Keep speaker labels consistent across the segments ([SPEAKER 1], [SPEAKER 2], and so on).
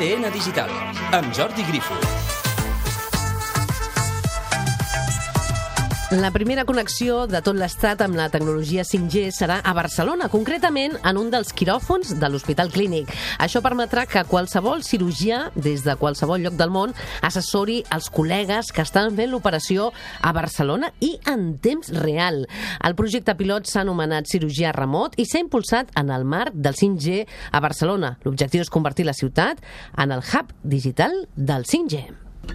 [SPEAKER 1] ADN Digital, amb Jordi Grífol.
[SPEAKER 2] La primera connexió de tot l'Estat amb la tecnologia 5G serà a Barcelona, concretament en un dels quiròfons de l'Hospital Clínic. Això permetrà que qualsevol cirurgià, des de qualsevol lloc del món, assessori els col·legues que estan fent l'operació a Barcelona i en temps real. El projecte pilot s'ha anomenat Cirurgia Remot i s'ha impulsat en el marc del 5G a Barcelona. L'objectiu és convertir la ciutat en el hub digital del 5G.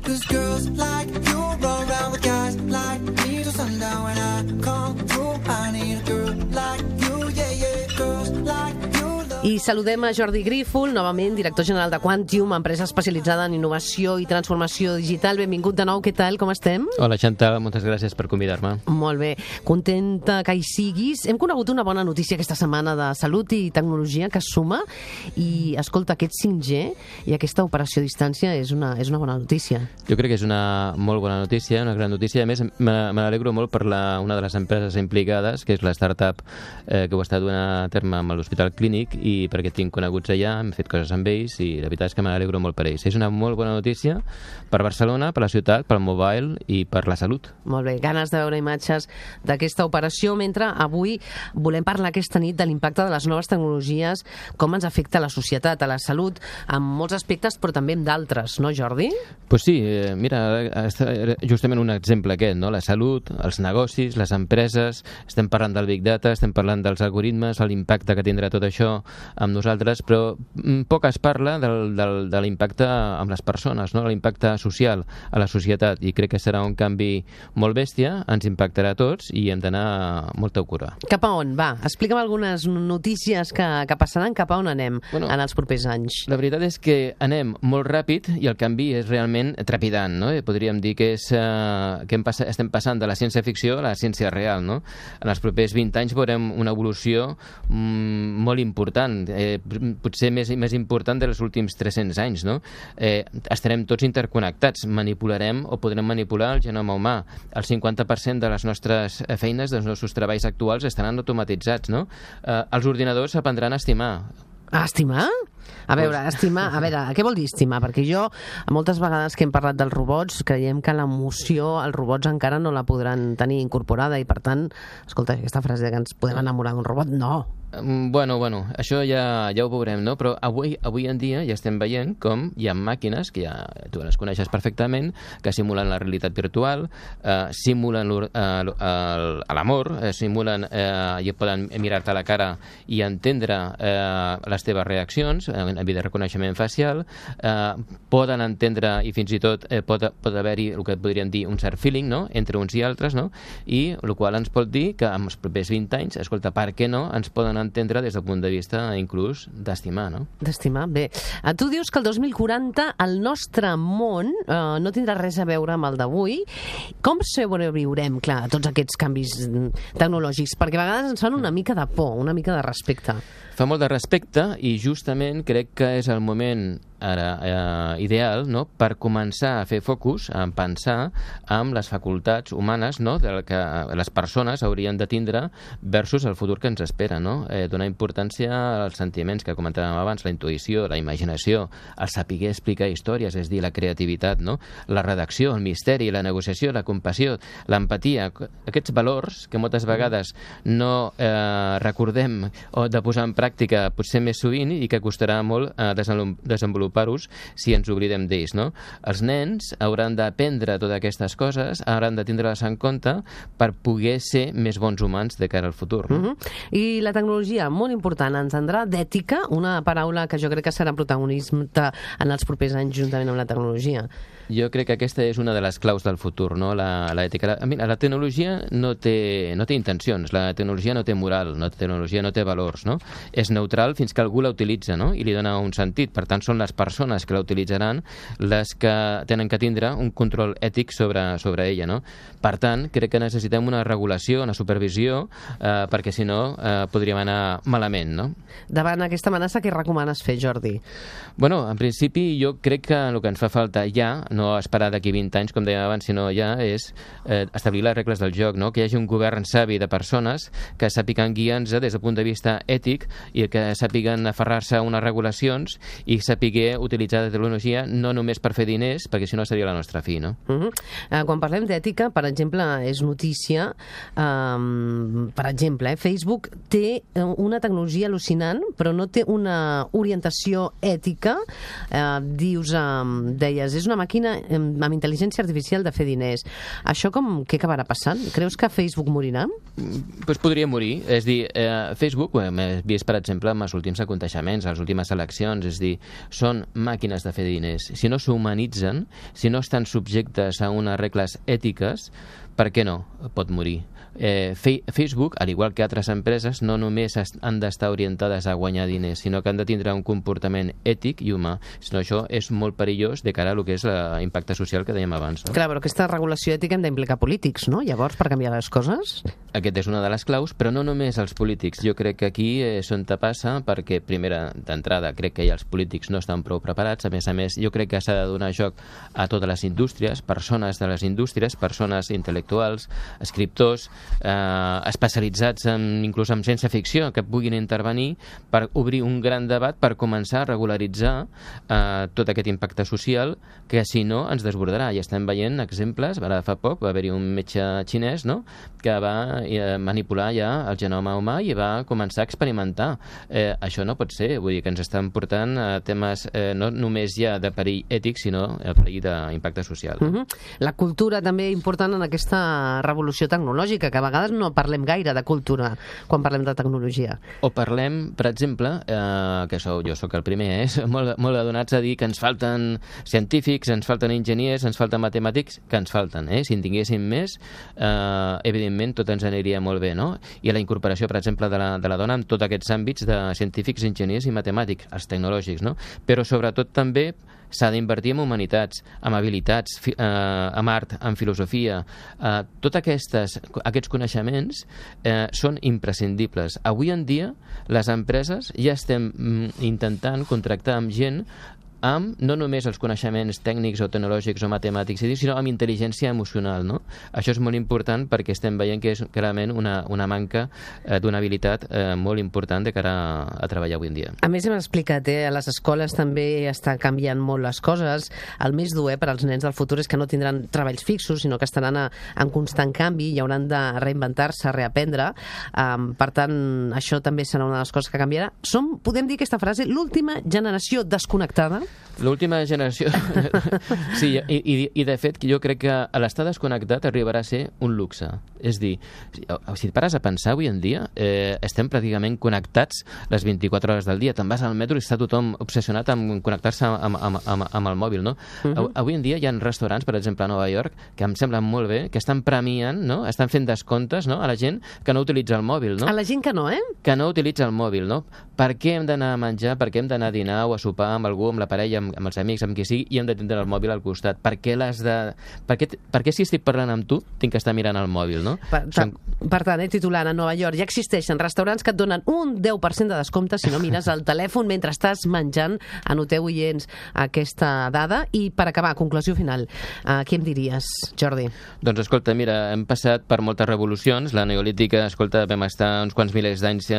[SPEAKER 3] Cause girls like you run around with guys like me till sundown. When I come through, I need a girl like you, yeah, yeah. Girls like you.
[SPEAKER 2] I saludem a Jordi Grífol, novament director general de Quantium, empresa especialitzada en innovació i transformació digital. Benvingut de nou, què tal, com estem?
[SPEAKER 4] Hola, Chantal, moltes gràcies per convidar-me.
[SPEAKER 2] Molt bé, contenta que hi siguis. Hem conegut una bona notícia aquesta setmana de salut i tecnologia que es suma i, escolta, aquest 5G i aquesta operació a distància és una bona notícia.
[SPEAKER 4] Jo crec que és una molt bona notícia, una gran notícia. A més, me n'alegro molt per una de les empreses implicades, que és la startup que ho està duent a terme amb l'Hospital Clínic, i perquè tinc coneguts allà, hem fet coses amb ells i la veritat és que me n'alegro molt per ells. És una molt bona notícia per Barcelona, per la ciutat, pel mobile i per la salut.
[SPEAKER 2] Molt bé, ganes de veure imatges d'aquesta operació, mentre avui volem parlar aquesta nit de l'impacte de les noves tecnologies, com ens afecta a la societat, a la salut, en molts aspectes, però també en d'altres, no, Jordi?
[SPEAKER 4] Pues sí, mira, justament un exemple aquest, no? La salut, els negocis, les empreses, estem parlant del Big Data, estem parlant dels algoritmes, l'impacte que tindrà tot això amb nosaltres, però poc es parla de l'impacte amb les persones, no? L'impacte social a la societat, i crec que serà un canvi molt bèstia, ens impactarà a tots i hem d'anar molta cura.
[SPEAKER 2] Cap a on? Va, explica'm algunes notícies que passaran, cap a on anem en els propers anys.
[SPEAKER 4] La veritat és que anem molt ràpid i el canvi és realment trepidant, no? Podríem dir que estem passant de la ciència-ficció a la ciència real, no? En els propers 20 anys veurem una evolució molt important, potser més important dels últims 300 anys, no? Estarem tots interconnectats, manipularem o podrem manipular el genoma humà. El 50% de les nostres feines, dels nostres treballs actuals estaran automatitzats, no? Els ordinadors aprendran a estimar.
[SPEAKER 2] A estimar? A veure, estimar, què vol dir estimar? Perquè jo, moltes vegades que hem parlat dels robots, creiem que l'emoció, els robots encara no la podran tenir incorporada i, per tant, escolta, aquesta frase que ens podem enamorar d'un robot, no.
[SPEAKER 4] Bueno, això ja ho veurem, no? Però avui en dia ja estem veient com hi ha màquines, que ja tu les coneixes perfectament, que simulen la realitat virtual, simulen l'amor, simulen i poden mirar-te a la cara i entendre les teves reaccions, en de reconeixement facial, poden entendre i fins i tot pot haver-hi el que podríem dir un cert feeling, no?, entre uns i altres, no?, i el qual ens pot dir que en els propers 20 anys, escolta, per què no ens poden entendre des del punt de vista inclús d'estimar, no?
[SPEAKER 2] D'estimar, bé. Tu dius que el 2040 el nostre món no tindrà res a veure amb el d'avui. Com sobreviurem, clar, a tots aquests canvis tecnològics? Perquè a vegades ens fan una mica de por, una mica de respecte.
[SPEAKER 4] Fa molt de respecte i justament crec que és el moment ara ideal, no?, per començar a fer focus, a pensar amb les facultats humanes, no?, del que les persones haurien de tindre versus el futur que ens espera, no? Donar importància als sentiments que comentàvem abans, la intuïció, la imaginació, el saber explicar històries, és dir, la creativitat, no?, la redacció, el misteri, la negociació, la compassió, l'empatia, aquests valors que moltes vegades no recordem o de posar en pràctica potser més sovint i que costarà molt desenvolupar-los si ens oblidem d'ells, no? Els nens hauran d'aprendre totes aquestes coses, hauran de tindre-les en compte per poder ser més bons humans de cara al futur, no?
[SPEAKER 2] I la tecnologia, molt important, ens tindrà d'ètica, una paraula que jo crec que serà protagonista en els propers anys juntament amb la tecnologia.
[SPEAKER 4] Jo crec que aquesta és una de les claus del futur, no?, l'ètica. La tecnologia no té intencions, la tecnologia no té moral, la tecnologia no té valors, no? És neutral fins que algú la utilitza, no?, i li dona un sentit. Per tant, són les persones que la utilitzaran les que tenen que tindre un control ètic sobre ella, no? Per tant, crec que necessitem una regulació, una supervisió, perquè si no podríem anar malament, no?
[SPEAKER 2] Davant aquesta amenaça, què recomanes fer, Jordi?
[SPEAKER 4] Bueno, en principi jo crec que el que ens fa falta ja, no esperar d'aquí 20 anys, com dèiem abans, sinó ja és establir les regles del joc, no? Que hi hagi un govern savi de persones que sàpiguen guiar-nos des del punt de vista ètic i que sàpiguen aferrar-se a unes regulacions i sàpiguen saber utilitzar la tecnologia no només per fer diners, perquè si no seria la nostra fi, no?
[SPEAKER 2] Quan parlem d'ètica, per exemple, és notícia, per exemple, Facebook té una tecnologia al·lucinant, però no té una orientació ètica. Deies, és una màquina amb intel·ligència artificial de fer diners. Això què acabarà passant? Creus que Facebook morirà?
[SPEAKER 4] Pues podria morir. És dir, Facebook, ho hem vist, per exemple, amb els últims aconteixements, les últimes eleccions, és dir, són màquines de fer diners. Si no s'humanitzen, si no estan subjectes a unes regles ètiques, per què no? Pot morir. Facebook, al igual que altres empreses, no només han d'estar orientades a guanyar diners, sinó que han de tindre un comportament ètic i humà. Si no, això és molt perillós de cara a lo que és l'impacte social que dèiem abans. No?
[SPEAKER 2] Clar, però aquesta regulació ètica hem d'implicar polítics, no? Llavors, per canviar les coses?
[SPEAKER 4] Aquest és una de les claus, però no només els polítics. Jo crec que aquí és on te passa, perquè, primera, d'entrada, crec que ja els polítics no estan prou preparats. A més, jo crec que s'ha de donar joc a totes les indústries, persones de les indústries, persones intel·lectuals, escriptors, especialitzats inclús en ciència-ficció, que puguin intervenir per obrir un gran debat per començar a regularitzar tot aquest impacte social que, si no, ens desbordarà. I estem veient exemples. Ara fa poc va haver-hi un metge xinès, no?, que va manipular ja el genoma humà i va començar a experimentar. Això no pot ser. Vull dir que ens estan portant a temes no només ja de perill ètic, sinó a perill d'impacte social.
[SPEAKER 2] La cultura també important en aquesta revolució tecnològica, que a vegades no parlem gaire de cultura quan parlem de tecnologia.
[SPEAKER 4] O parlem, per exemple, que jo sóc el primer, molt adonats a dir que ens falten científics, ens falten enginyers, ens falten matemàtics, que ens falten. Si en tinguéssim més, evidentment tot ens aniria molt bé, no? I la incorporació, per exemple, de la dona en tots aquests àmbits de científics, enginyers i matemàtics, els tecnològics, no? Però sobretot també s'ha d'invertir en humanitats, en habilitats, en art, en filosofia. Tots aquests coneixements són imprescindibles. Avui en dia, les empreses ja estem intentant contractar amb gent amb no només els coneixements tècnics o tecnològics o matemàtics, sinó amb intel·ligència emocional, no? Això és molt important perquè estem veient que és clarament una manca d'una habilitat molt important de cara a treballar avui en dia.
[SPEAKER 2] A més, hem explicat, a les escoles també està canviant molt les coses. El més dur per als nens del futur és que no tindran treballs fixos, sinó que estaran en constant canvi i hauran de reinventar-se, reaprendre. Per tant, això també serà una de les coses que canviarà. Podem dir aquesta frase, l'última generació desconnectada?
[SPEAKER 4] L'última generació... Sí, i de fet jo crec que l'estar desconnectat arribarà a ser un luxe. És dir, si et pares a pensar avui en dia, estem pràcticament connectats les 24 hores del dia. Te'n vas al metro i està tothom obsessionat amb connectar-se amb el mòbil, no? Avui en dia hi ha restaurants, per exemple, a Nova York, que em semblen molt bé, que estan premiant, no?, estan fent descomptes, no?, a la gent que no utilitza el mòbil, no?
[SPEAKER 2] A la gent que no,
[SPEAKER 4] Que no utilitza el mòbil, no? Per què hem d'anar a menjar, per què hem d'anar a dinar o a sopar amb algú, amb la parella, amb els amics, amb qui sigui, i hem de tindre el mòbil al costat? Per què si estic parlant amb tu tinc que estar mirant el mòbil, no?
[SPEAKER 2] Per tant, titular a Nova York, ja existeixen restaurants que et donen un 10% de descompte si no mires el telèfon mentre estàs menjant. Anoteu, oients, aquesta dada. I per acabar, conclusió final, què em diries, Jordi?
[SPEAKER 4] Doncs escolta, mira, hem passat per moltes revolucions. La neolítica, escolta, vam estar uns quants milers d'anys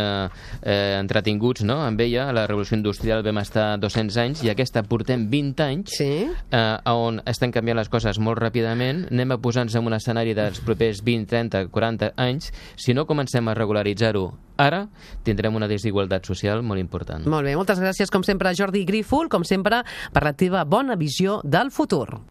[SPEAKER 4] entretinguts, no?, amb ella. La revolució industrial vam estar 200 anys i aquesta portem 20 anys, on estan canviant les coses molt ràpidament. Anem a posar-nos en un escenari dels propers 20, 30, 40 anys. Si no comencem a regularitzar-ho ara, tindrem una desigualtat social molt important.
[SPEAKER 2] Molt bé, moltes gràcies, com sempre, Jordi Grífol, com sempre, per la teva bona visió del futur.